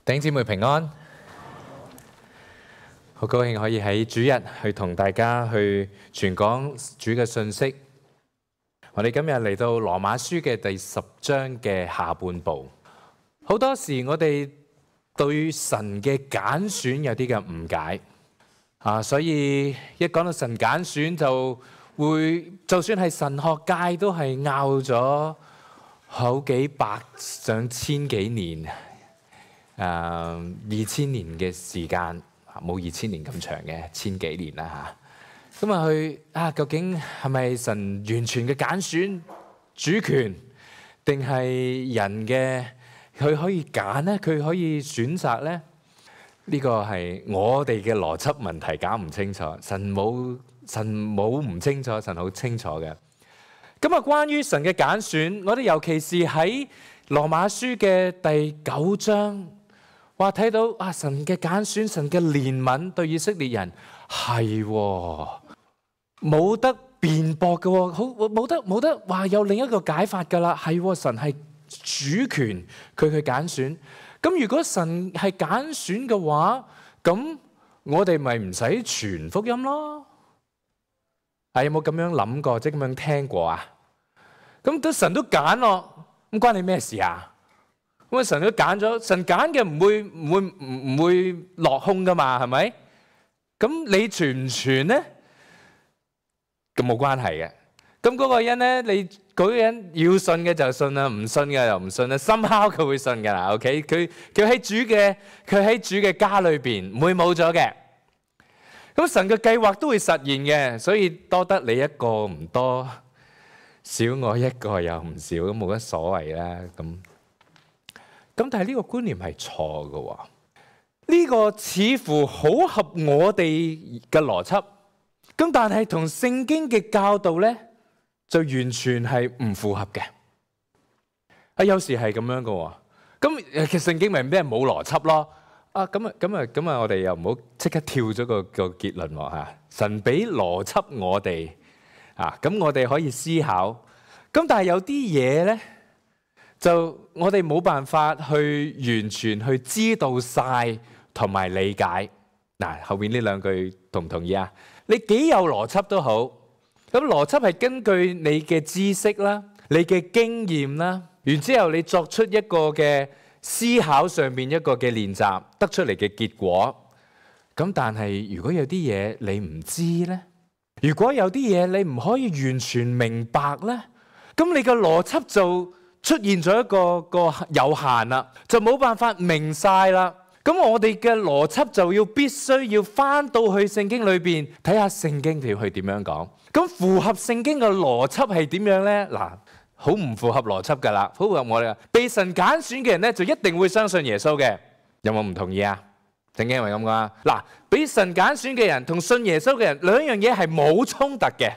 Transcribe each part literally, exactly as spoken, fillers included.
弟兄姊妹平安，好高興可以喺主日去同大家去傳講主嘅信息。我哋今日嚟到羅馬書嘅第十章嘅下半部。好多時我哋對神嘅揀選有啲嘅誤解啊，所以一講到神揀選就會，就算係神學界都係拗咗好幾百上千幾年。誒二千年嘅時間，冇二千年咁長嘅，千幾年啦嚇。咁啊，佢啊，究竟係咪神完全嘅揀選主權，定係人嘅佢可以揀咧？佢可以選擇咧？呢個係我哋嘅邏輯問題，搞唔清楚。神冇神冇唔清楚，神好清楚嘅。咁啊，關於神嘅揀選，我哋尤其是喺羅馬書嘅第九章。話睇到啊，神嘅揀選，神嘅憐憫對以色列人係冇得辯駁嘅，好冇得冇得話有另一個解法噶啦。係神係主權，佢去揀選。咁如果神係揀選嘅話，咁我哋咪唔使傳福音咯？啊，有冇咁樣諗過，即係咁樣聽過啊？咁都神都揀咯，咁關你咩事啊？咁啊！神都揀咗，神揀嘅唔會唔會唔會落空噶嘛？係咪？咁你傳唔傳咧？咁冇關係嘅。咁嗰個人咧，你嗰個人要信嘅就信啦，唔信嘅又唔信啦。somehow佢會信噶啦。OK，佢佢喺主嘅佢喺主嘅家裏邊唔會冇咗嘅。咁神嘅計劃都會實現嘅，所以多得你一個唔多，少我一個又唔少，咁冇乜所謂啦。咁。咁但係呢個觀念係錯嘅喎，呢個似乎好合我哋嘅邏輯，咁但係同聖經嘅教導咧就完全係唔符合嘅。啊，有時係咁樣嘅喎，咁其實聖經咪咩冇邏輯咯？啊，咁啊咁啊咁啊，我哋又唔好即刻跳咗個個結論喎嚇。神俾邏輯我哋啊，咁我哋可以思考，咁但係有啲嘢咧。就我哋冇辦法去完全去知道晒同埋理解。嗱，後面呢兩句同唔同意啊？你幾有邏輯都好，咁邏輯係根據你嘅知識啦、你嘅經驗啦，然之後你作出一個嘅思考上面一個嘅練習，得出嚟嘅結果。咁但係如果有啲嘢你唔知咧，如果有啲嘢你唔可以完全明白咧，咁你嘅邏輯就出現咗一個個有限啦，就冇辦法明晒啦。咁我哋嘅邏輯就要必須要翻到去聖經裏邊睇下聖經條去點樣講。咁符合聖經嘅邏輯係點樣咧？嗱，好唔符合邏輯噶啦，好符合我哋被神揀選嘅人咧，就一定會相信耶穌嘅。有冇唔同意啊？聖經係咪咁講啊？嗱，被神揀選嘅人同信耶穌嘅人兩樣嘢係冇衝突嘅。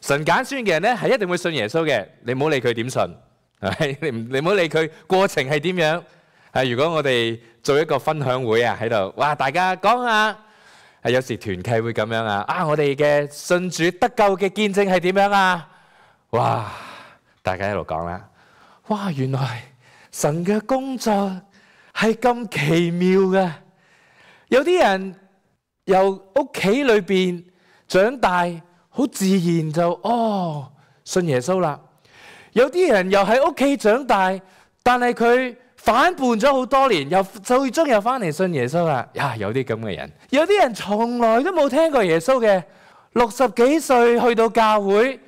神揀選嘅人咧係一定會信耶穌嘅，你唔好理佢點信。係你唔你唔好理佢過程係點樣。係如果我哋做一個分享會啊，喺度哇，大家講下。係有時團契會咁樣啊。啊，我哋嘅信主得救嘅見證係點樣啊？哇，大家喺度講啦。哇，原來神嘅工作係咁奇妙嘅。有啲人由屋企裏邊長大，好自然就哦信耶穌啦。有啲人又喺屋企長大，但係佢反叛咗好多年，又最終又翻嚟信耶穌啦。呀，有啲咁嘅人，有啲人從來都冇聽過耶穌嘅，六十幾歲去到教會，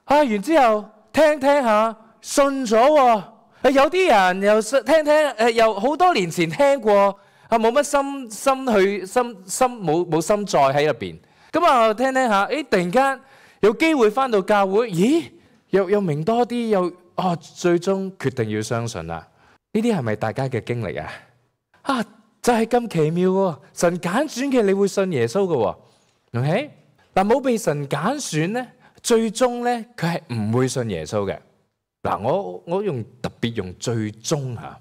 啊，完之後聽聽下信咗喎。有啲人又聽聽誒，又好多年前聽過，啊，冇乜心心去心心冇冇心在喺入邊。咁啊，聽聽下，誒，突然間有機會翻到教會，咦？又又明多啲，又哦，最終決定要相信啦。呢啲係咪大家嘅經歷啊？啊，就係咁奇妙喎！神揀選嘅，你會信耶穌嘅喎。OK，嗱，冇被神揀選咧，最終咧佢係唔會信耶穌嘅。嗱，我我用特別用最終嚇。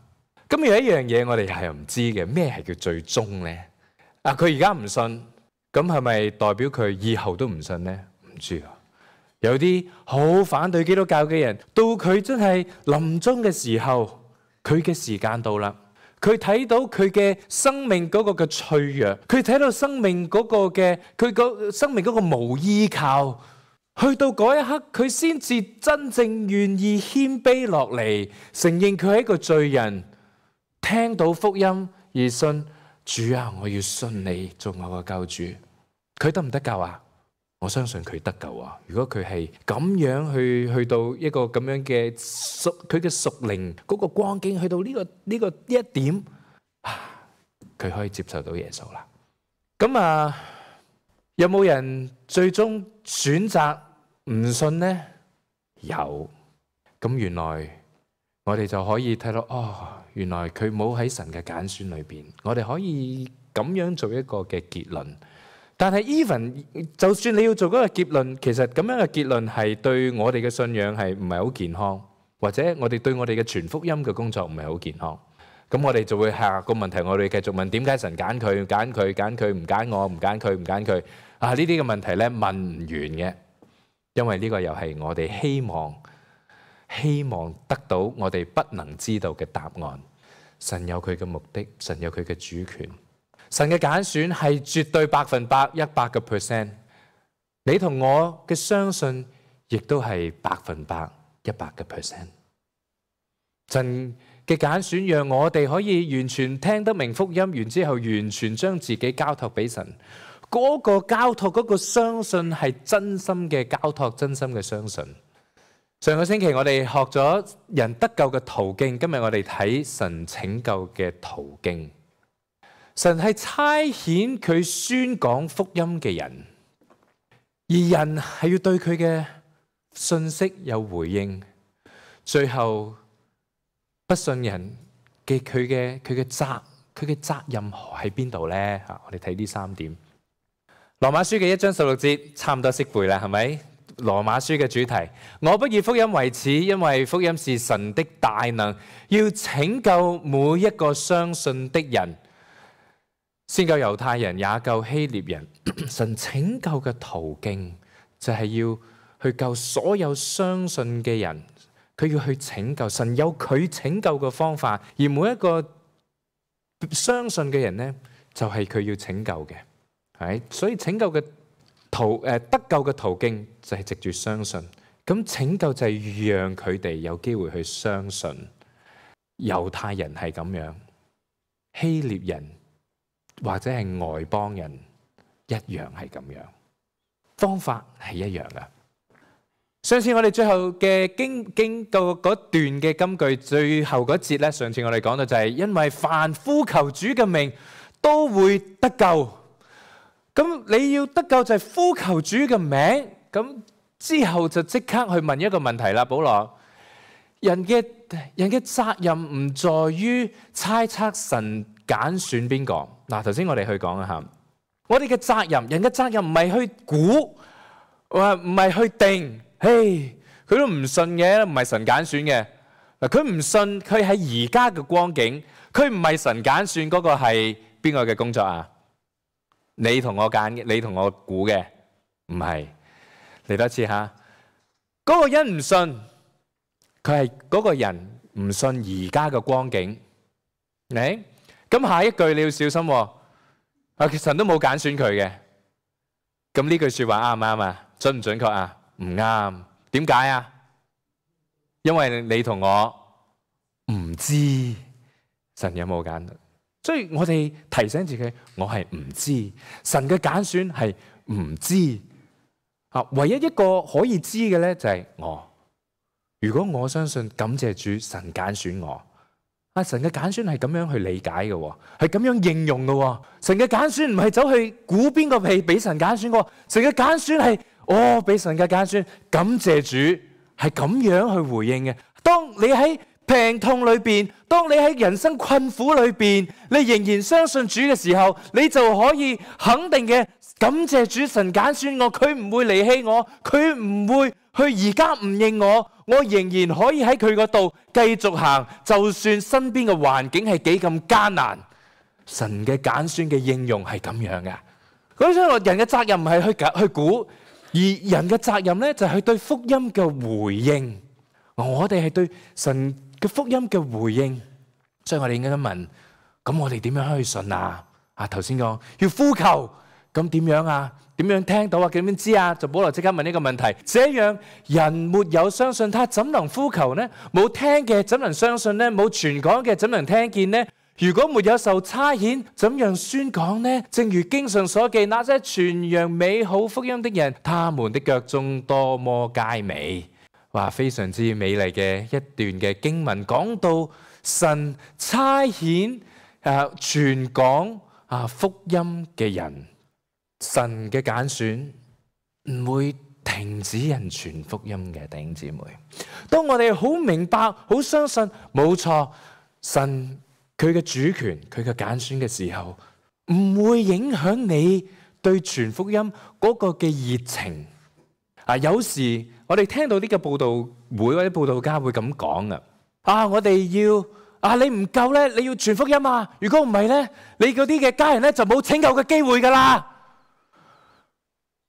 咁有一樣嘢我哋係唔知嘅，咩係叫最終咧？啊，佢而家唔信，咁係咪代表佢以後都唔信咧？唔知啊。有啲好反對基督教嘅人，到佢真係臨終嘅時候，佢嘅時間到啦，佢睇到佢嘅生命嗰個嘅脆弱，佢睇到生命嗰個嘅佢個生命嗰個無依靠。去到嗰一刻，佢先至真正願意謙卑落嚟，承認佢係一個罪人，聽到福音而信主啊！我要信你做我嘅救主。佢得唔得救啊？我相信佢得救啊！如果佢係咁樣去去到一個咁樣嘅屬佢嘅屬靈嗰個光景，去到呢個呢個呢一點，佢可以接受到耶穌啦。咁啊，有冇人最終選擇唔信呢？有。咁原來我哋就可以睇到，哦，原來佢冇喺神嘅揀選裏邊。我哋可以咁樣做一個嘅結論。但係 even 就算你要做嗰個結論，其實咁樣嘅結論係對我哋嘅信仰係唔係好健康，或者我哋對我哋嘅傳福音嘅工作唔係好健康。咁我哋就會下個問題，我哋繼續問點解神揀佢揀佢揀佢唔揀我唔揀佢唔揀佢啊？呢啲嘅問題咧問唔完嘅，因為呢個又係我哋希望希望得到我哋不能知道嘅答案。神有佢嘅目的，神有佢嘅主權，神嘅揀選係絕對百分百一百個 percent。你同我嘅相信亦都係百分百一百個 percent。神嘅揀選讓我哋可以完全聽得明福音，完之後完全將自己交託俾神。嗰個交託，嗰個相信係真心嘅交託，真心嘅相信。上個星期我哋學咗人得救嘅途徑，今日我哋睇神拯救嘅途徑。神係差遣佢宣講福音嘅人，而人係要對佢嘅信息有回應。最後不信人嘅佢嘅佢嘅責佢嘅責任喺邊度呢？吓，我哋睇呢三點。羅馬書嘅一章十六節差唔多識背啦，係咪？羅馬書嘅主題，我不以福音為恥，因為福音是神的大能，要拯救每一個相信的人，先救猶太人，也救希臘人。神拯救嘅途徑就係要去救所有相信嘅人，佢要去拯救。神有佢拯救嘅方法，而每一個相信嘅人呢，就係佢要拯救嘅。係，所以拯救嘅途誒得救嘅途徑就係藉住相信。咁拯救就係讓佢哋有機會去相信。猶太人係咁樣，希臘人或者係外邦人一樣係咁樣，方法係一樣噶。上次我哋最後嘅經經過嗰段嘅金句，最後嗰節咧，上次我哋講到就係因為凡呼求主嘅名都會得救。咁你要得救就係呼求主嘅名，咁之後就即刻去問一個問題啦，保羅，人嘅人嘅責任唔在於猜測神揀選邊個。嗱，頭先我哋去講一下，我哋嘅責任，人嘅責任唔係去估，話唔係去定，嘿，佢都唔信嘅，唔係神揀選嘅。嗱，佢唔信，佢喺而家嘅光景，佢唔係神揀選嗰個係邊個嘅工作啊？你同我揀嘅，你同我估嘅，唔係。嚟多次吓，嗰個人唔信，佢係嗰個人唔信而家嘅光景。誒，咁下一句你要小心喎。啊，神都冇揀選佢嘅。咁呢句說話啱唔啱啊？準唔準確啊？唔啱。點解啊？因為你同我唔知神有冇揀。所以我哋提醒自己，我係唔知神嘅揀選係唔知啊。唯一一個可以知嘅咧就係我。如果我相信感謝主，神揀選我啊，神嘅揀選係咁樣去理解嘅，係咁樣應用嘅。神嘅揀選唔係走去估邊個係俾神揀選過，神嘅揀選係哦俾神嘅揀選，感謝主係咁樣去回應嘅。當你喺病痛裏邊，當你喺人生困苦裏邊，你仍然相信主嘅時候，你就可以肯定嘅感謝主，神揀選我，佢唔會離棄我，佢唔會去而家唔認我，我仍然可以喺佢嗰度繼續行，就算身邊嘅環境係幾咁艱難，神嘅揀選嘅應用係咁樣嘅。咁所以人嘅責任唔係去去估，而人嘅責任咧就係對福音嘅回應。我哋係對神嘅福音嘅回應，所以我哋應該問咁我哋點樣去信啊？啊，頭先講要呼求，咁點樣啊？點樣聽到啊？點樣知啊？就保羅即刻問呢個問題：這樣人沒有相信他，怎能呼求呢？冇聽嘅怎能相信呢？冇傳講嘅怎能聽見呢？如果沒有受差遣，怎樣宣講呢？正如經上所記，那些傳揚美好福音的人，他們的腳蹤多麼佳美。哇，非常之美麗嘅一段嘅經文，講到神差遣誒傳講啊福音嘅人，神嘅揀選唔會停止人傳福音嘅。弟兄姊妹，當我哋好明白、好相信，冇錯，神佢嘅主權、佢嘅揀選嘅時候，唔會影響你對傳福音嗰個嘅熱情。啊，有時我哋聽到呢個佈道會或者佈道家會咁講啊，啊，我哋要啊，你唔夠咧，你要傳福音啊！如果唔係咧，你嗰啲嘅家人咧就冇拯救嘅機會噶啦。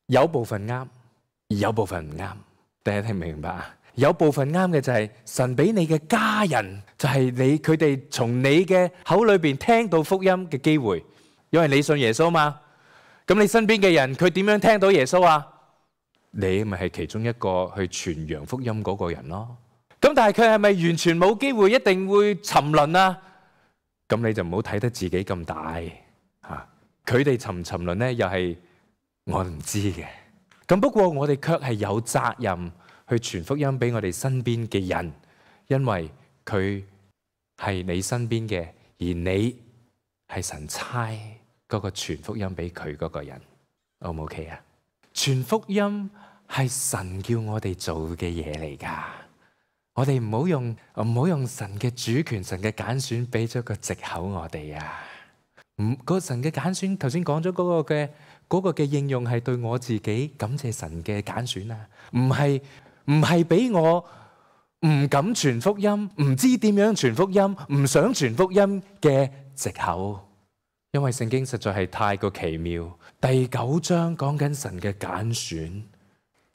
有部分啱，而有部分唔啱。大家聽唔明白啊？有部分啱嘅就係神俾你嘅家人，就係你佢哋從你嘅口裏邊聽到福音嘅機會，因為你信耶穌嘛。咁你身邊嘅人佢點樣聽到耶穌啊？你咪係其中一個去傳揚福音嗰個人咯。咁但係佢係咪完全冇機會，一定會沉淪啊？咁你就唔好睇得自己咁大嚇。佢哋沉唔沉淪咧，又係我唔知嘅。咁不過我哋卻係有責任去傳福音俾我哋身邊嘅人，因為佢係你身邊嘅，而你係神差嗰個傳福音俾佢嗰個人。O 唔 OK 啊？傳福音係神叫我哋做嘅嘢嚟噶，我哋唔好用唔好用神嘅主權、神嘅揀選俾咗個藉口我哋啊！唔，嗰個神嘅揀選，頭先講咗嗰個嘅嗰個嘅應用係對我自己感謝神嘅揀選啊，唔係唔係俾我唔敢傳福音、唔知點樣傳福音、唔想傳福音嘅藉口。因為聖經實在係太過奇妙。第九章講緊神嘅揀選，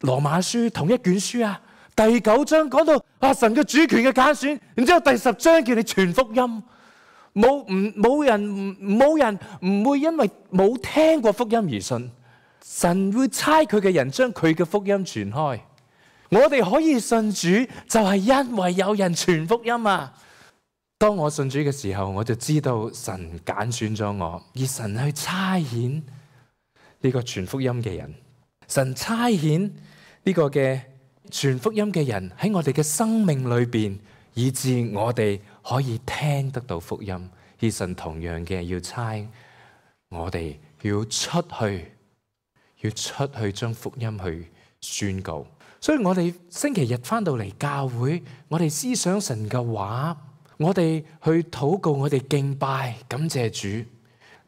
羅馬書同一卷書啊。第九章講到啊神嘅主權嘅揀選，然之後第十章叫你傳福音，冇唔冇人冇人唔會因為冇聽過福音而信，神會差佢嘅人將佢嘅福音傳開。我哋可以信主，就係因為有人傳福音啊！當我信主嘅時候，我就知道神揀選咗我，而神去差遣呢個傳福音嘅人，神差遣呢個嘅傳福音嘅人喺我哋嘅生命裏邊，以致我哋可以聽得到福音。而神同樣嘅要差我哋要出去，要出去將福音去宣告。所以我哋星期日返到嚟教會，我哋思想神嘅話，我哋去禱告，我哋敬拜，感謝主。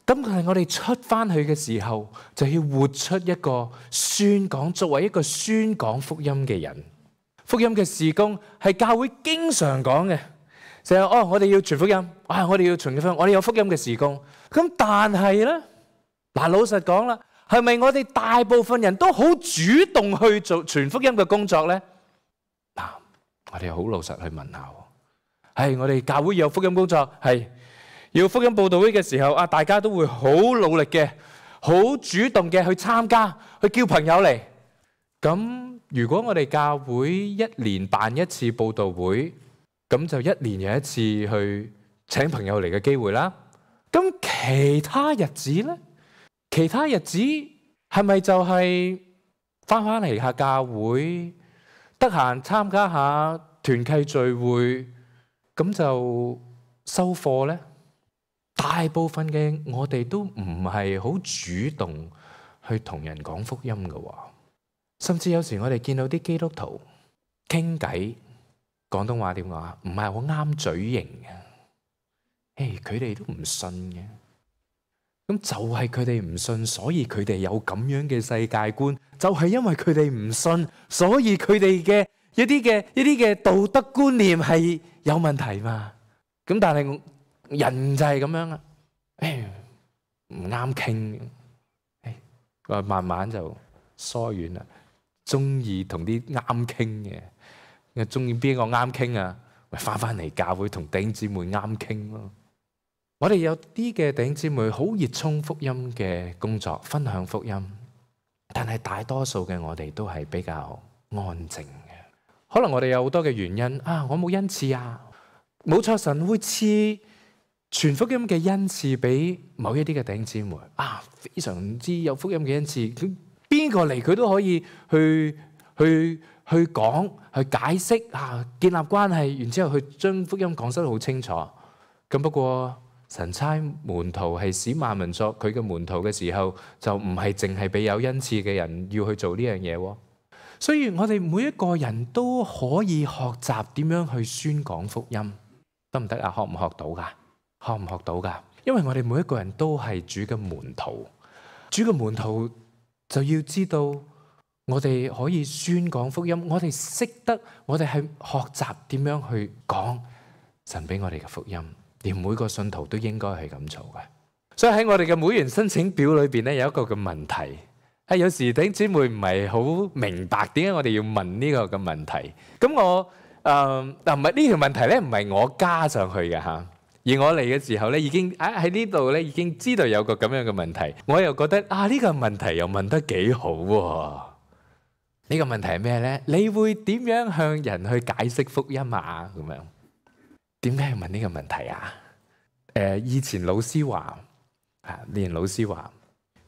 咁係我哋出翻去嘅時候，就要活出一個宣講，作為一個宣講福音嘅人。福音嘅事工係教會經常講嘅，就係哦，我哋要傳福音，啊，我哋要傳福音，我哋有福音嘅事工。咁但係咧，嗱，老實講啦，係咪我哋大部分人都好主動去做傳福音嘅工作咧？嗱，我哋好老實去問下。係我哋教會有福音工作，係要福音佈道會嘅時候，啊，大家都會好努力嘅，好主動嘅去參加，去叫朋友嚟。咁如果我哋教會一年辦一次佈道會，咁就一年有一次去請朋友嚟嘅機會啦。咁其他日子咧，其他日子係咪就係翻返嚟下教會，得閒參加下團契聚會？咁就收貨咧。大部分嘅我哋都唔係好主動去同人講福音嘅，甚至有時我哋見到啲基督徒傾偈，廣東話點講啊？唔係好啱嘴型嘅。誒，佢哋都唔信嘅。咁就係佢哋唔信，所以佢哋有咁樣嘅世界觀。就係因為佢哋唔信，所以佢哋嘅一啲嘅一啲嘅道德觀念係有問題嘛。咁但係人就係咁樣啦，誒唔啱傾，誒慢慢就疏遠啦。中意同啲啱傾嘅，又中意邊個啱傾啊？咪翻翻嚟教會同弟兄姊妹啱傾咯。我哋有啲嘅弟兄姊妹好熱衷福音嘅工作，分享福音，但係大多數嘅我哋都係比較安靜嘅。可能我哋有好多嘅原因啊，我冇恩賜啊，冇錯，神會賜傳福音嘅恩賜俾某一啲嘅弟兄姊妹啊，非常之有福音嘅恩賜，佢邊個嚟佢都可以去去去講去解釋啊，建立關係，然之後去將福音講得好清楚。咁不過神差門徒係使萬民作佢嘅門徒嘅時候，就唔係淨係俾有恩賜嘅人要去做呢樣嘢。所以我哋每一個人都可以學習點樣去宣講福音，得唔得啊？學唔學到噶？學唔學到噶？因為我哋每一個人都係主嘅門徒，主嘅門徒就要知道我哋可以宣講福音，我哋識得，我哋係學習點樣去講神俾我哋嘅福音。連每個信徒都應該係咁做嘅，所以喺我哋嘅會員申請表裏邊咧，有一個嘅問題，係有時弟兄姊妹唔係好明白點解我哋要問呢個嘅問題。咁我誒嗱唔係呢條問題咧，唔係我加上去嘅嚇，而我嚟嘅時候咧已經啊喺呢度咧已經知道有個咁樣嘅問題，我又覺得啊呢個問題又問得幾好喎。呢個問題係咩咧？你會點樣向人去解釋福音啊？咁樣。點解要問呢個問題啊？誒，以前老師話，啊，連老師話，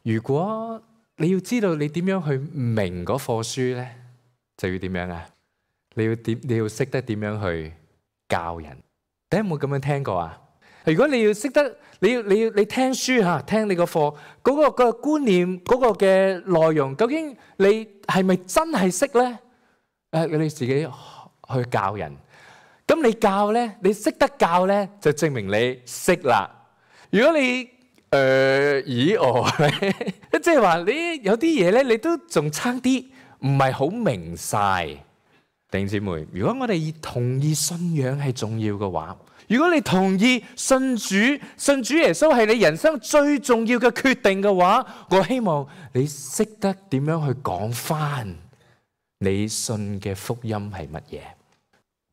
如果你要知道你點樣去明嗰課書咧，就要點樣啊？你要點？你要識得點樣去教人？你有冇咁樣聽過啊？如果你要識得，你要你要你聽書吓，聽你個課嗰個個觀念嗰個嘅內容，究竟你係咪真係識咧？誒，你自己去教人。咁你教咧，你識得教咧，就證明你識啦。如果你誒咦哦，即係話你有啲嘢咧，你都仲差啲，唔係好明晒。弟兄姊妹，如果我哋同意信仰係重要嘅話，如果你同意信主、信主耶穌係你人生最重要嘅決定嘅話，我希望你識得點樣去講返你信嘅福音係乜嘢。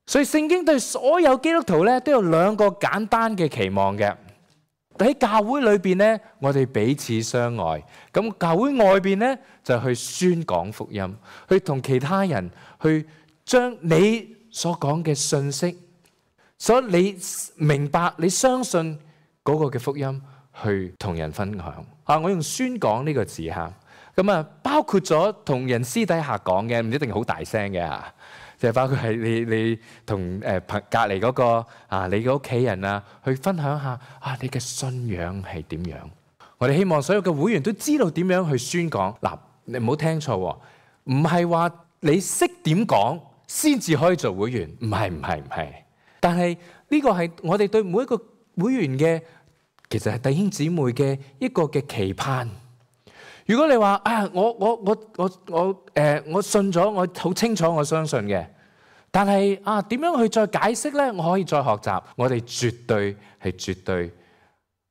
所以聖經對所有基督徒咧都有兩個簡單嘅期望嘅。喺教會裏邊咧，我哋彼此相愛；咁教會外邊咧就去宣講福音，去同其他人去將你所講嘅信息，所以你明白、你相信嗰個嘅福音，去同人分享。啊，我用宣講呢個字吓，咁啊包括咗同人私底下講嘅，唔一定好大聲嘅吓。就係包括係你你同誒隔隔離嗰個啊，你嘅屋企人啊，去分享下啊，你嘅信仰係點樣？我哋希望所有嘅會員都知道點樣去宣講。嗱，你唔好聽錯喎，唔係話你識點講先至可以做會員，唔係唔係唔係。但係呢個係我哋對每一個會員嘅，其實係弟兄姊妹嘅一個嘅期盼。如果你話啊，我我我我我誒、呃，我信咗，我好清楚，我相信嘅。但係啊，點樣去再解釋咧？我可以再學習。我哋絕對係絕對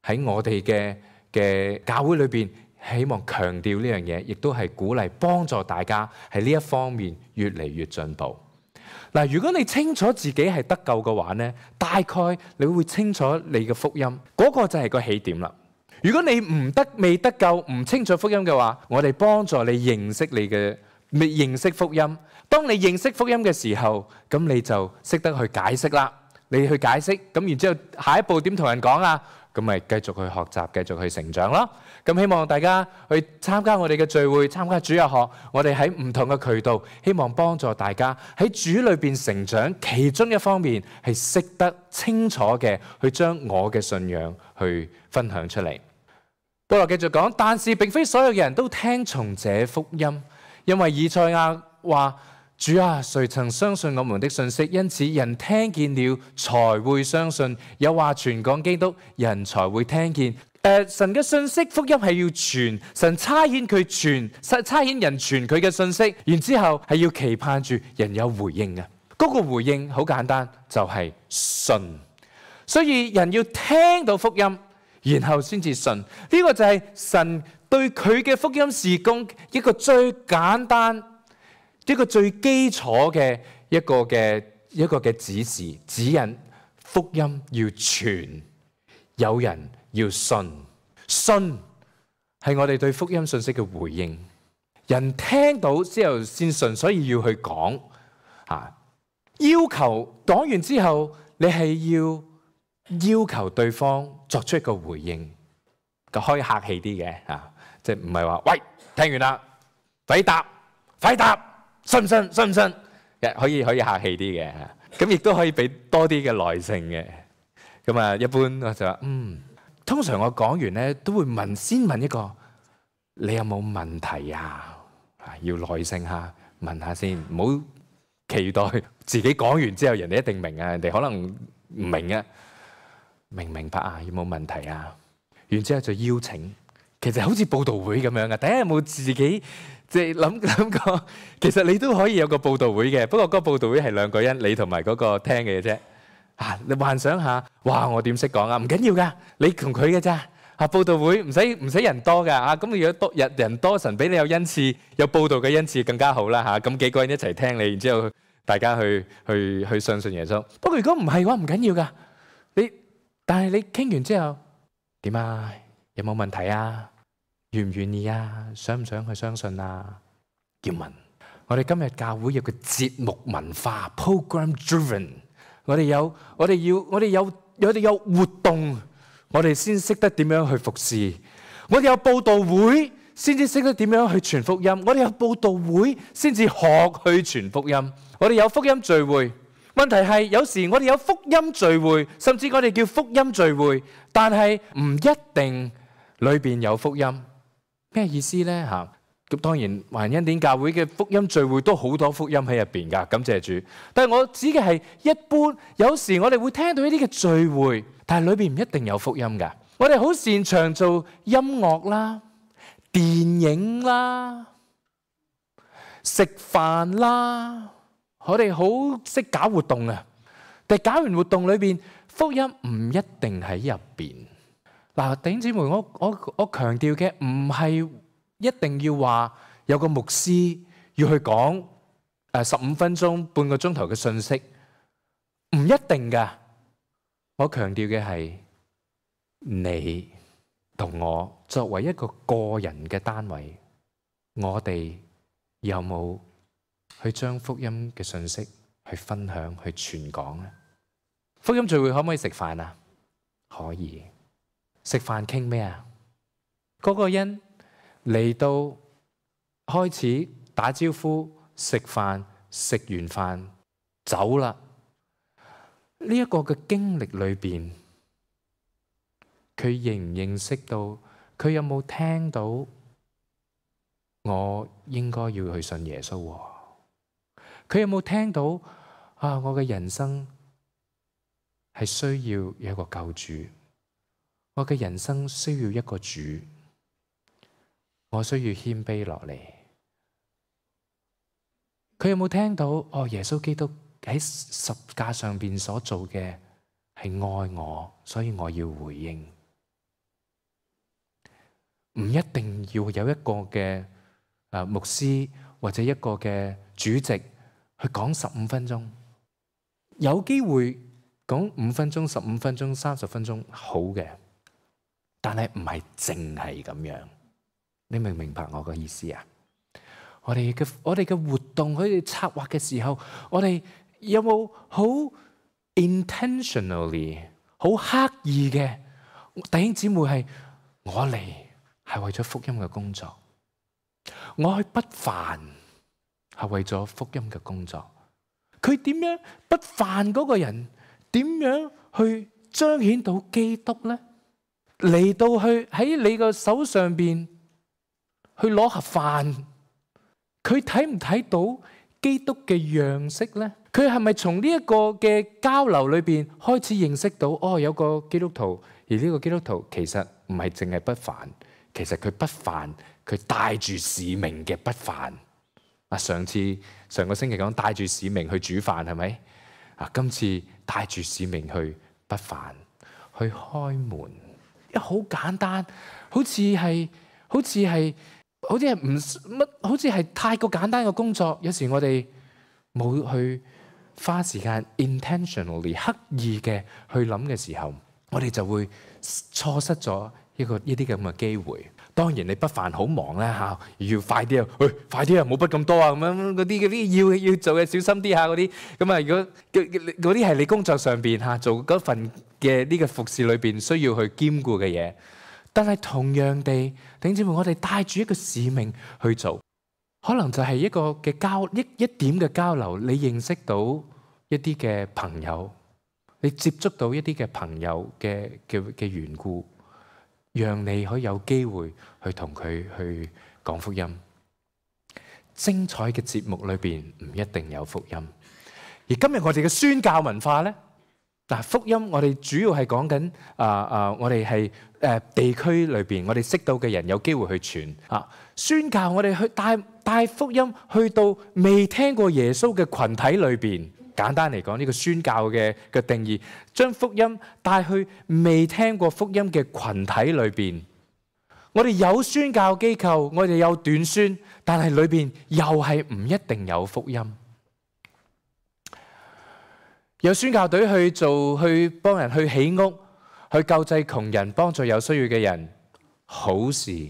喺我哋嘅嘅教會裏邊，希望強調呢樣嘢，亦都係鼓勵幫助大家喺呢一方面越嚟越進步。嗱、啊，如果你清楚自己係得救嘅話咧，大概你會清楚你嘅福音，嗰、那個就係個起點啦。如果你唔得未得救唔清楚福音嘅話，我哋幫助你認識你嘅未認識福音。當你認識福音嘅時候，咁你就識得去解釋啦。你去解釋，咁然之後下一步點同人講啊？咁咪繼續去學習，繼續去成長咯。咁希望大家去參加我哋嘅聚會，參加主日學。我哋喺唔同嘅渠道，希望幫助大家喺主裏邊成長。其中一方面係識得清楚嘅去將我嘅信仰去分享出嚟。保羅繼續講，但是並非所有嘅人都聽從這福音，因為以賽亞話：主啊，誰曾相信我們的信息？因此人聽見了才會相信。有話傳講基督，人才會聽見。誒、呃，神嘅信息福音係要傳，神差遣佢傳，差遣人傳佢嘅信息，然之後係要期盼住人有回應嘅。嗰、那個回應好簡單，就係、是、信。所以人要聽到福音，然後先至信。呢、這個就係神對佢嘅福音事工一個最簡單、一個最基礎嘅一個嘅一個嘅指示指引。福音要傳，有人要信，信係我哋對福音信息嘅回應。人聽到之後先信，所以要去講啊。要求講完之後，你係要要求對方作出一個回應，就可以客氣啲嘅啊，即係唔係話喂，聽完啦，快答，快答，信唔信？信唔信？可以可以客氣啲嘅，咁亦都可以俾多啲嘅耐性嘅。咁啊，一般我就話嗯，通常我講完咧都會問，先問一個，你有冇問題啊？要耐性下問下先，唔好期待自己講完之後人哋一定明啊，人哋可能唔明啊，明唔明白啊？有冇問題啊？然之後就邀請，其實好似佈道會咁樣嘅。大家有冇自己即係諗諗過？其實你都可以有個佈道會嘅，不過嗰個佈道會係兩個人，你同埋嗰個聽嘅啫。啊，你幻想下，哇！我點識講啊？唔緊要噶，你同佢嘅咋？啊！佈道會唔使唔使人多㗎啊！咁如果多人人多，神俾你有恩賜，有佈道嘅恩賜更加好啦嚇！咁幾個人一齊聽你，然之後大家去去去相信耶穌。不過如果唔係嘅話，唔緊要㗎。你但係你傾完之後點啊？有冇問題啊？願唔願意啊？想唔想去相信啊？要問。我哋今日教會有個節目文化 ，program driven。我哋有我哋要我哋有我哋有活動。我哋先識得點樣去服侍，我哋有佈道會先至識得點樣去傳福音，我哋有佈道會先至學去傳福音，我哋有福音聚會。問題係有時我哋有福音聚會，甚至我哋叫福音聚會，但係唔一定裏邊有福音。咩意思呢？嚇，咁當然華人恩典教會嘅福音聚會都好多福音喺入邊㗎，感謝主。但係我指嘅係一般，有時我哋會聽到一啲嘅聚會。但係裏邊唔一定有福音㗎。我哋好擅長做音樂啦、電影啦、食飯啦，我哋好識搞活動啊。但係搞完活動裏邊，福音唔一定喺入邊。嗱，弟兄姊妹，我我我強調嘅唔係一定要話有個牧師要去講誒十五分鐘、半個鐘頭嘅信息，唔一定㗎。我強調嘅係你同我作為一個個人嘅單位，我哋有冇去將福音嘅信息去分享、去傳講呢？福音聚會可唔可以食飯啊？可以。食飯傾咩啊？嗰個人嚟到開始打招呼、食飯，食完飯走啦。呢一個嘅經歷裏邊，佢認唔認識到？佢有冇聽到？我應該要去信耶穌喎。佢有冇聽到？啊，我嘅人生係需要有一個救主，我嘅人生需要一個主，我需要謙卑落嚟。佢有冇聽到？哦，耶穌基督喺十架上邊所做嘅係愛我，所以我要回應。唔一定要有一個嘅誒牧師或者一個嘅主席去講十五分鐘，有機會講五分鐘、十五分鐘、三十分鐘好嘅，但係唔係淨係咁樣。你明唔明白我嘅意思啊？我哋嘅我哋嘅活動，佢哋策劃嘅時候，我哋有冇好 intentionally 好刻意嘅弟兄姊妹係我嚟係為咗福音嘅工作，我去不飯係為咗福音嘅工作。佢點樣不飯嗰個人點樣去彰顯到基督呢？嚟到去喺你個手上邊去攞盒飯，佢睇唔睇到基督嘅樣式呢？佢係咪從呢一個嘅交流裏邊開始認識到，哦，有個基督徒，而呢個基督徒其實唔係淨係不飯，其實佢不飯，佢帶住使命嘅不飯。啊，上次上個星期講帶住使命去煮飯係咪？啊，今次帶住使命去不飯，去開門，一好簡單，好似係好似係好似係唔乜，好似係太過簡單嘅工作。有時我哋冇去花時間 intentionally 刻意嘅去諗嘅時候，我哋就會錯失咗一個呢啲咁嘅機會。當然你不凡好忙咧嚇，要快啲啊！喂，快啲啊！冇筆咁多啊！咁樣嗰啲嗰啲要要做嘅小心啲下嗰啲。咁啊，如果嗰啲係你工作上邊嚇做嗰份嘅呢個服侍裏邊需要去兼顧嘅嘢，但係同樣地，弟兄姊妹，我哋帶住一個使命去做，可能就係一個嘅交一一點嘅交流，你認識到一啲嘅朋友，你接觸到一啲嘅朋友嘅嘅嘅緣故。讓你可以有機會去同佢去講福音。精彩嘅節目裏邊唔一定有福音，而今日我哋嘅宣教文化呢，嗱，福音我哋主要係講緊啊啊，我哋係誒地區裏邊我哋識到嘅人有機會去傳啊，宣教我哋去帶帶福音去到未聽過耶穌嘅群體裏邊。簡單嚟講，呢個宣教嘅嘅定義，將福音帶去未聽過福音嘅群體裏邊。我哋有宣教機構，我哋有短宣，但係裏邊又係唔一定有福音。有宣教隊去做，去幫人去起屋，去救濟窮人，幫助有需要嘅人，好事。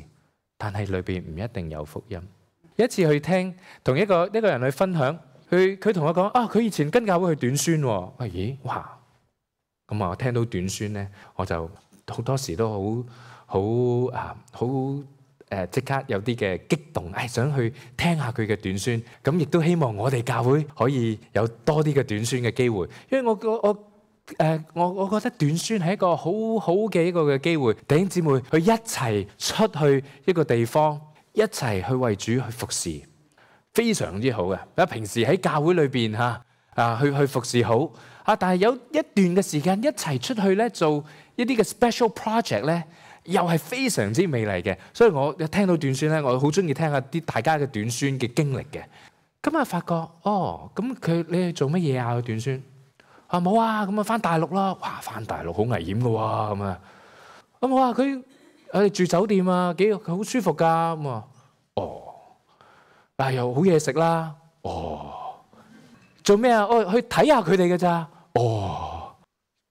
但係裏邊唔一定有福音。有一次去聽，同一個一個人去分享。佢佢同我講啊，佢以前跟教會去短宣喎。啊咦，哇！咁啊，我聽到短宣咧，我就好多時都好好啊，好誒，即刻有啲嘅激動，誒想去聽下佢嘅短宣。咁亦都希望我哋教會可以有多啲嘅短宣嘅機會，因為我我我誒我我覺得短宣係一個好好嘅一個嘅機會，弟兄姊妹去一齊出去一個地方，一齊去為主去服侍。非常之好嘅，啊！平時喺教會裏邊嚇啊，去去服侍好啊，但係有一段嘅時間一齊出去咧，做一啲嘅 special project 咧，又係非常之美麗嘅。所以我一聽到短宣咧，我好中意聽下啲大家嘅短宣嘅經歷嘅。咁啊，發覺哦，咁佢你係做乜嘢啊？短宣啊冇啊，咁啊翻大陸啦，哇！翻大陸好危險嘅喎，咁啊，咁我話佢誒住酒店啊，幾好舒服㗎咁啊，哦。但係又好嘢食啦，哦，做咩啊？哦，去睇下佢哋嘅咋，哦，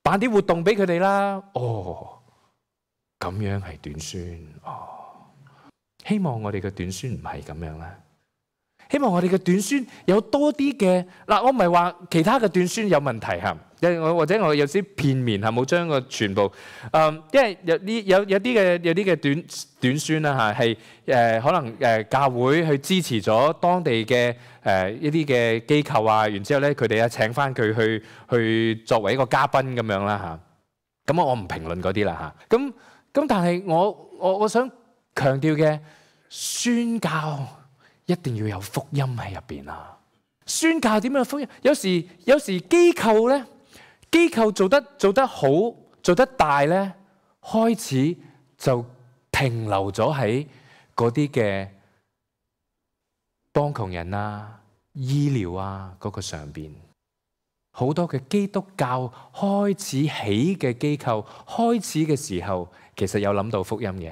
辦啲活動俾佢哋啦，哦，咁樣係短宣，哦，希望我哋嘅短宣唔係咁樣啦，希望我哋嘅短宣有多啲嘅嗱，我唔係話其他嘅短宣有問題嚇，因為我或者我有啲片面嚇，冇將個全部，誒，因為有啲有有啲嘅有啲嘅短短宣啦嚇，係誒可能誒教會去支持咗當地嘅誒一啲嘅機構啊，然之後咧佢哋啊請翻佢去去作為一個嘉賓咁樣啦嚇，咁我唔評論嗰啲啦嚇，咁咁但係我我我想強調嘅宣教一定要有福音喺入邊啊！宣教點樣福音？有時有時機構咧。機構做得做得好，做得大咧，開始就停留咗喺嗰啲嘅幫窮人啊、醫療啊嗰個上邊。好多嘅基督教開始起嘅機構，開始嘅時候其實有諗到福音嘅，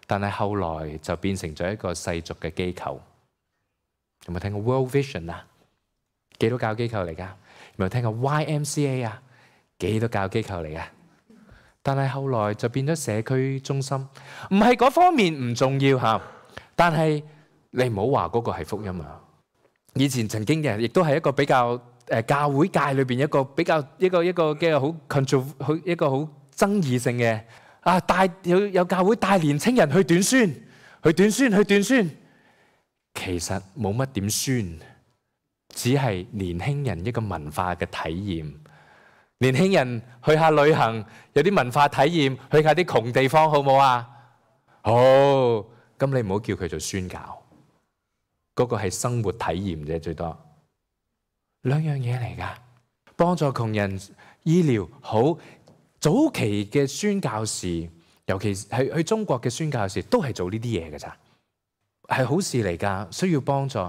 但係後來就變成咗一個世俗嘅機構。有冇聽過 World Vision 啊？基督教機構嚟㗎。有冇聽過 Y M C A 啊？基督教機構嚟嘅，但係後來就變咗社區中心，唔係嗰方面唔重要嚇，但係你唔好話嗰個係福音啊！以前曾經嘅人亦都係一個比較誒教會界裏邊一個比較一個一個嘅好 control 好一個好爭議性嘅啊，帶有有教會帶年青人去短宣，去短宣，去短宣，其實冇乜點宣，只係年輕人一個文化嘅體驗。年輕人去下旅行，有啲文化體驗，去下啲窮地方，好唔好啊？好，咁你唔好叫佢做宣教，嗰個係生活體驗啫，最多兩樣嘢嚟噶。幫助窮人、醫療好，早期嘅宣教士，尤其係去中國嘅宣教士，都係做呢啲嘢噶咋，係好事嚟噶，需要幫助，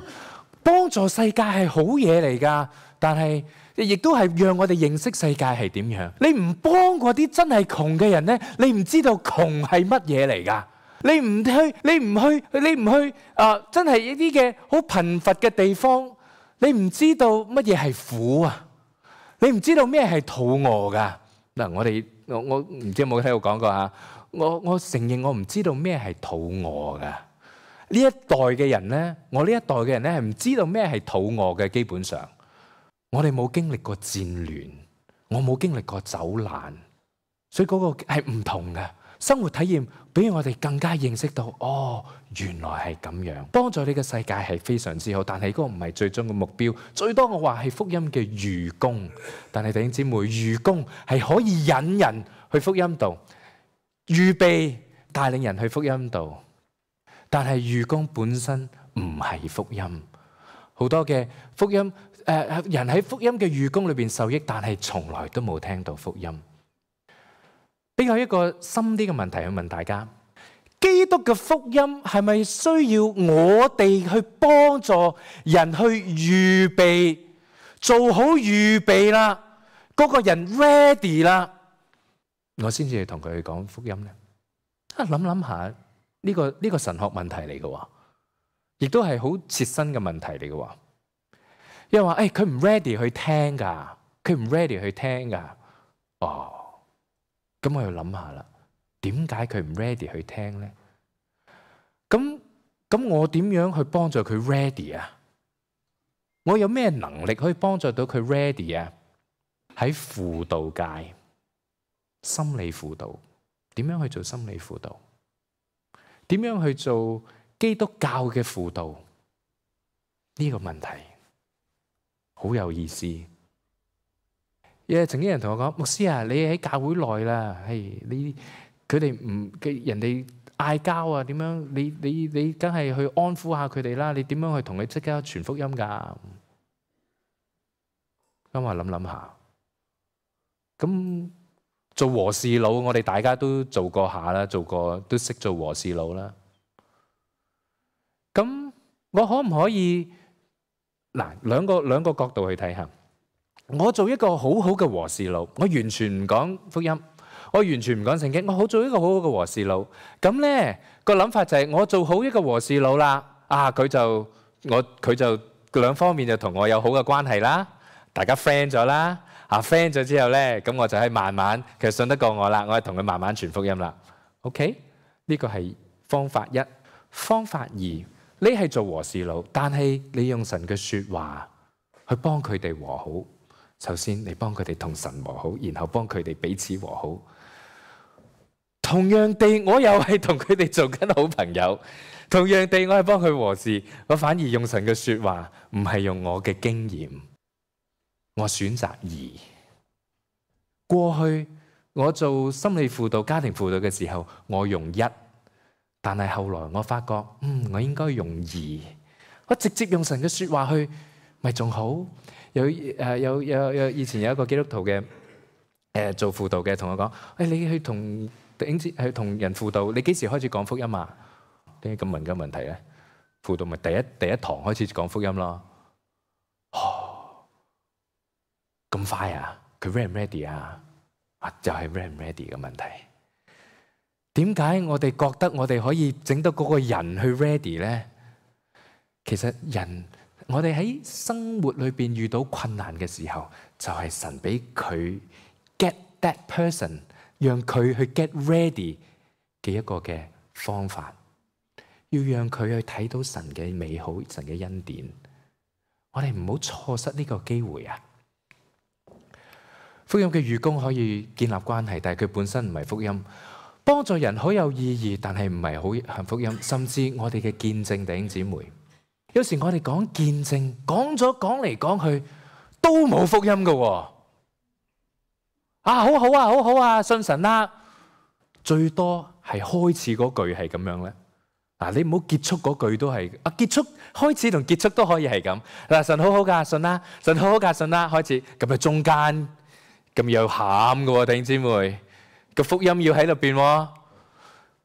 幫助世界係好嘢嚟噶，但係。亦都係讓我哋認識世界係點樣。你唔幫嗰啲真係窮嘅人咧，你唔知道窮係乜嘢嚟㗎。你唔去，你唔去，你唔去啊、呃！真係一啲嘅好貧乏嘅地方，你唔知道乜嘢係苦啊！你唔知道咩係肚餓㗎嗱。我哋我我唔知有冇聽我講過嚇。我我承認我唔知道咩係肚餓㗎。呢一代嘅人咧，我呢一代嘅人咧係唔知道咩係肚餓嘅。基本上，我哋冇經歷過戰亂，我冇經歷過走難，所以嗰個係唔同嘅生活體驗，比我哋更加認識到，哦，原來係咁樣。幫助你嘅世界係非常之好，但係嗰個唔係最終嘅目標。最多我話係福音嘅愚公，但係弟兄姊妹，愚公係可以引人去福音度，預備帶領人去福音度。但係愚公本身唔係福音。好多嘅福音誒、呃、人喺福音嘅愚公裏邊受益，但係從來都冇聽到福音。比較一個深啲嘅問題去問大家：基督嘅福音係咪需要我哋去幫助人去預備，做好預備啦，嗰個人 ready 啦，我先至去同佢去講福音呢？啊，諗諗下呢個呢個神學問題嚟嘅，亦都係好切身嘅問題嚟嘅。因為話誒，佢唔 ready 去聽噶，佢唔 ready 去聽噶。哦，咁我要諗下啦，點解佢唔 ready 去聽咧？咁咁我點樣去幫助佢 ready 啊？我有咩能力可以幫助到佢 ready 啊？喺輔導界，心理輔導，點樣去做心理輔導？點樣去做基督教嘅輔導？呢個問題好有意思。有曾經有人同我講：牧師啊，你喺教會內啦，係你佢哋唔嘅人哋嗌交啊，點樣？你你你梗係去安撫下佢哋啦。你點樣去同佢即刻傳福音㗎？咁我諗諗下，咁做和事佬，我哋大家都做過下啦，做過都識做和事佬啦。咁我可唔可以嗱兩個兩個角度去睇下？我做一個好好嘅和事佬，我完全唔講福音，我完全唔講聖經，我好做一個好好嘅和事佬。咁咧個諗法就係我做好一個和事佬啦，啊佢就我佢就兩方面就同我有好嘅關係啦，大家 friend 咗啦，啊 friend 咗之後咧，咁我就係慢慢其實信得過我啦，我係同佢慢慢傳福音啦。OK， 呢個係方法一。方法二，你係做和事佬，但係你用神嘅說話去幫佢哋和好。首先，你幫佢哋同神和好，然後幫佢哋彼此和好。同樣地，我又係同佢哋做緊好朋友。同樣地，我係幫佢和事，我反而用神嘅說話，唔係用我嘅經驗。我選擇二。過去我做心理輔導、家庭輔導嘅時候，我用一，但係後來我發覺，嗯，我應該用二。我直接用神嘅說話去，咪仲好。有誒有有有以前有一個基督徒嘅誒、呃、做輔導嘅，同我講：誒、哎、你去同頂尖去同人輔導，你幾時開始講福音啊？點解咁問嘅問題咧？輔導咪第一第一堂開始講福音咯。哦，咁快啊？佢 ready 唔 ready 啊？啊，就係 ready 唔 ready 嘅問題。點解我哋覺得我哋可以整到嗰個人去 ready 咧？其實人。我哋喺生活裏邊遇到困難嘅時候，就係神俾佢 get that person， 讓佢去 get ready 嘅一個嘅方法，要讓佢去睇到神嘅美好、神嘅恩典。我哋唔好錯失呢個機會啊！福音嘅愚公可以建立關係，但係佢本身唔係福音。幫助人好有意義，但係唔係好係福音。甚至我哋嘅見證，弟兄姊妹。有時我哋講見證，講咗講嚟講去都冇福音㗎喎。啊，好好啊，好好啊，信神啦。最多係開始嗰句係咁樣咧。嗱，你唔好結束嗰句都係啊，結束開始同結束都可以係咁。嗱，神好好㗎，信啦，神好好㗎，信啦，開始咁啊，中間咁又喊㗎喎，弟兄姊妹，個福音要喺度邊喎。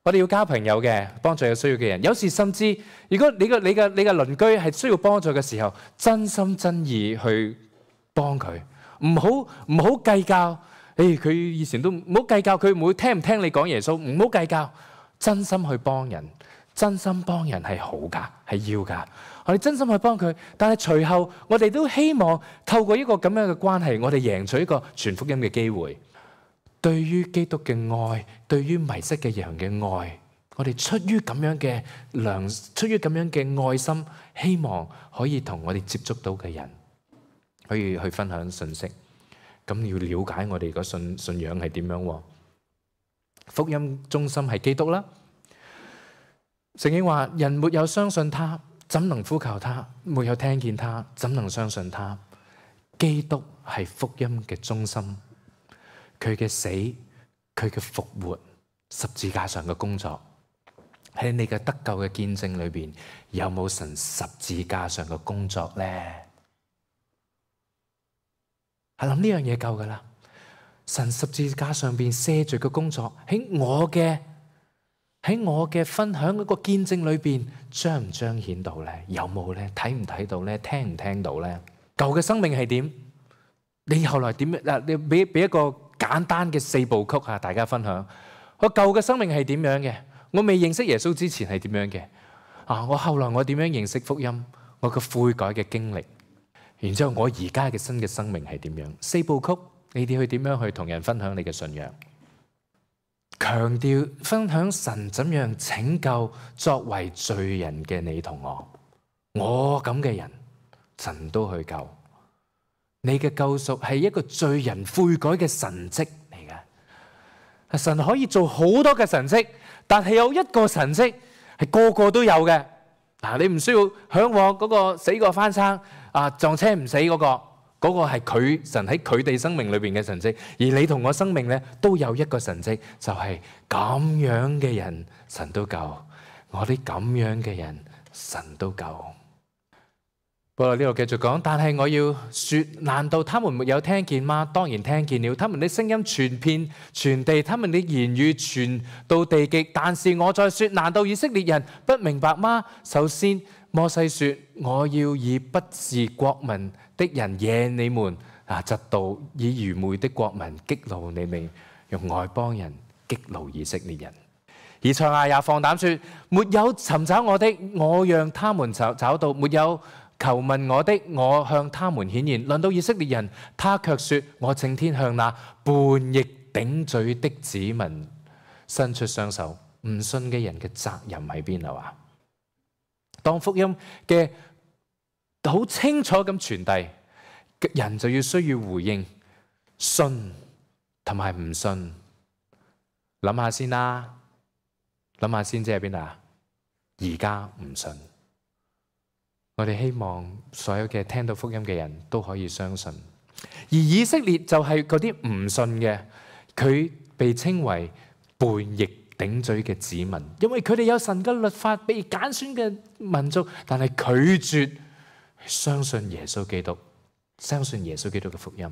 我哋要交朋友嘅，幫助有需要嘅人。有時甚至，如果你個你嘅你嘅鄰居係需要幫助嘅時候，真心真意去幫佢，唔好唔好計較。誒，佢以前都唔好計較，佢唔會聽唔聽你講耶穌，唔好計較，真心去幫人，真心幫人係好㗎，係要㗎。我哋真心去幫佢，但係隨後我哋都希望透過一個咁樣嘅關係，我哋贏取一個傳福音嘅機會。對於基督嘅愛，對於迷失嘅羊嘅愛，我哋出於咁樣嘅良，出於咁樣嘅愛心，希望可以同我哋接觸到嘅人，可以去分享信息。咁要了解我哋個信信仰係點樣。福音中心係基督啦。聖經話：人沒有相信他，怎能呼求他？沒有聽見他，怎能相信他？基督係福音嘅中心。佢嘅死，佢嘅復活，十字架上嘅工作，喺你嘅得救嘅見證裏邊，有冇神十字架上嘅工作咧？係諗呢樣嘢夠噶啦。神十字架上邊寫住嘅工作，喺我嘅喺我嘅分享嗰個見證裏邊，彰唔彰顯到咧？有冇咧？睇唔睇到咧？聽唔聽到咧？舊嘅生命係點？你後來點嗱？你俾俾一個簡單嘅四部曲啊，大家分享。我舊嘅生命係點樣嘅？我未認識耶穌之前係點樣嘅？啊，我後來我點樣認識福音？我個悔改嘅經歷，然之後我而家嘅新嘅生命係點樣？四部曲，你哋去點樣去同人分享你嘅信仰？強調分享神怎樣拯救作為罪人嘅你同我，我咁嘅人，神都去救。你嘅救贖係一個罪人悔改嘅神蹟嚟嘅。神可以做好多嘅神蹟，但係有一個神蹟係個個都有嘅。嗱，你唔需要向往嗰個死過翻生啊，撞車唔死嗰個，嗰個係佢神喺佢哋生命裏邊嘅神蹟。而你同我生命咧都有一個神蹟，就係咁樣嘅人神都救，我啲咁樣嘅人神都救。不過呢度繼續講，但係我要說，難道他們沒有聽見嗎？當然聽見了，他們的聲音傳遍全地，他們的言語傳到地極。但是我再說，難道以色列人不明白嗎？首先摩西說，我要以不是國民的人惹你們啊嫉妒，以愚昧的國民激怒你們，用外邦人激怒以色列人。以賽亞也放膽說，沒有尋找我的，我讓他們找找到；沒有求問我的，我向他們顯現。論到以色列人，他卻說，我正天向那叛逆頂嘴的子民伸出雙手。唔信嘅人嘅責任喺邊啊？話當福音嘅好清楚咁傳遞，人就要需要回應，信同埋唔信。諗下先啦，諗下先，即係邊啊？而家唔信。我哋希望所有嘅聽到福音嘅人都可以相信，而以色列就係嗰啲唔信嘅，佢被稱為叛逆頂嘴嘅子民，因為佢哋有神嘅律法，被揀選嘅民族，但係拒絕相信耶穌基督，相信耶穌基督嘅福音。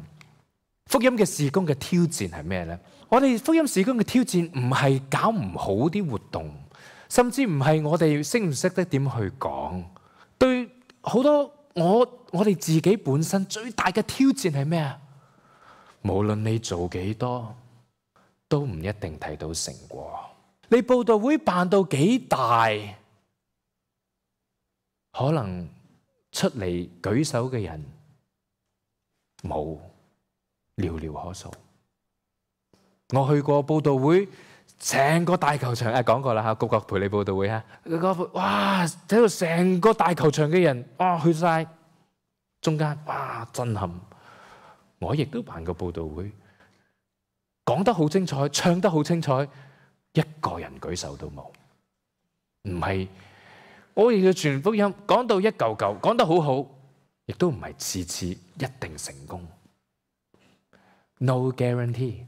福音嘅事工嘅挑戰係咩呢？我哋福音事工嘅挑戰唔係搞唔好啲活動，甚至唔係我哋識唔識得點去講。對好多我我哋自己本身最大嘅挑戰係咩啊？無論你做幾多，都唔一定睇到成果。你佈道會辦到幾大，可能出嚟舉手嘅人冇，寥寥可數。我去過佈道會，成個大球場，誒講過啦嚇，谷國培理佈道會嚇，哇睇到成個大球場嘅人，哇去晒中間，哇震撼！我亦都辦過佈道會，講得好精彩，唱得好精彩，一個人舉手都冇。唔係我哋嘅傳福音講到一嚿嚿，講得好好，亦都唔係次次一定成功。No guarantee。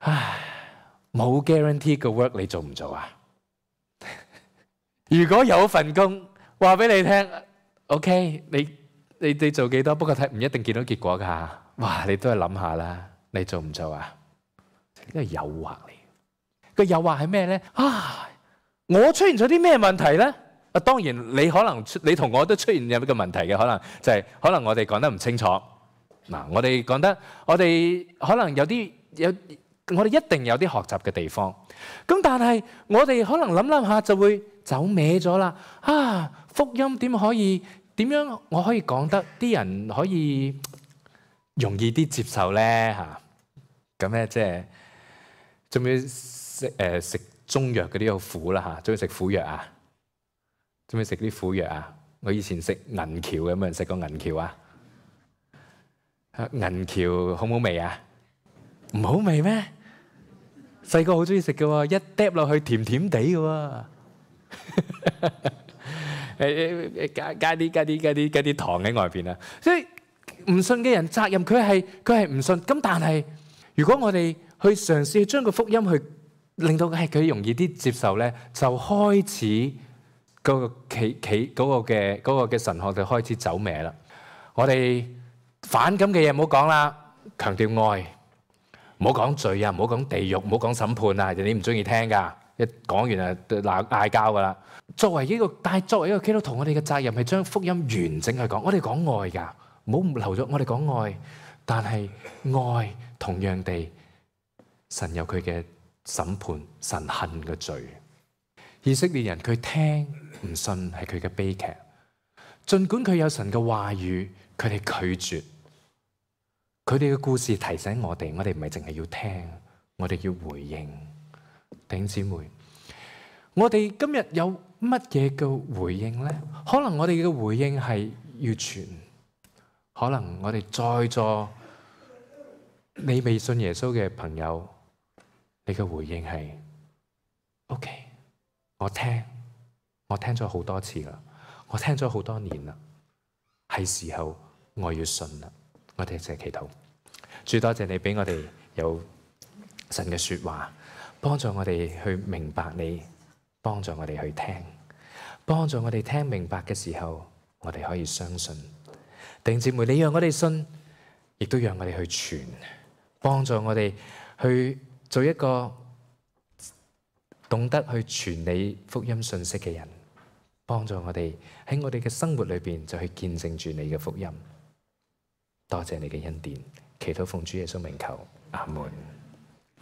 唉。冇 guarantee 個 work 你做唔做啊？如果有份工，話俾你聽 ，OK，你你你做幾多？不過睇唔一定見到結果㗎。哇！你都係諗下啦，你做唔做啊？呢個係誘惑嚟。個誘惑係咩咧？啊！我出現咗啲咩問題咧？啊，當然你可能你同我都出現有呢個問題嘅，可能就係、是、可能我哋講得唔清楚。嗱，我哋講得我哋可能有啲有。我哋一定有啲學習嘅地方，咁但係我哋可能諗諗下就會走歪咗啦。啊，福音點可以點樣我可以講得啲人可以容易啲接受咧？嚇，咁咧即係中唔中意食誒食中藥嗰啲好苦啦嚇？中意食苦藥啊？中唔中意食啲苦藥啊？我以前食銀翹，有冇人食過銀翹啊？銀翹好唔好味啊？唔好味咩？細個好中意食嘅喎，一嗒落去甜甜地嘅喎。誒誒加加啲加啲加啲加啲糖喺外邊啊！所以唔信嘅人責任佢係佢係唔信。咁但係如果我哋去嘗試將個福音去令到係佢容易啲接受咧，就開始嗰個企企嗰個嘅嗰個嘅神學就開始走歪啦。我哋反感嘅嘢唔好講啦，強調愛，唔好講罪啊，唔好講地獄，唔好講審判啊，人哋唔中意聽㗎。一講完啊鬧嗌交㗎啦。作為呢個，但係作為一個基督徒，我哋嘅責任係將福音完整去講。我哋講愛㗎，唔好漏咗。我哋講愛，但係愛同樣地，神有佢嘅審判，神恨嘅罪。以色列人佢聽唔信係佢嘅悲劇，儘管佢有神嘅話語，佢哋拒絕。佢哋嘅故事提醒我哋，我哋唔係淨係要聽，我哋要回應。弟兄姊妹，我哋今日有乜嘢嘅回應呢？可能我哋嘅回應係要傳，可能我哋在座你未信耶穌嘅朋友，你嘅回應係 OK， 我聽，我聽咗好多次啦，我聽咗好多年啦，係時候我要信啦。我哋一齊祈禱，主多謝你俾我哋有神嘅說話，幫助我哋去明白你，幫助我哋去聽，幫助我哋聽明白嘅時候，我哋可以相信。弟兄姊妹，你讓我哋信，亦都讓我哋去傳，幫助我哋去做一個懂得去傳你福音信息嘅人，幫助我哋喺我哋嘅生活裏邊就去見證住你嘅福音。多謝你嘅恩典，祈禱奉主耶穌名求，阿門。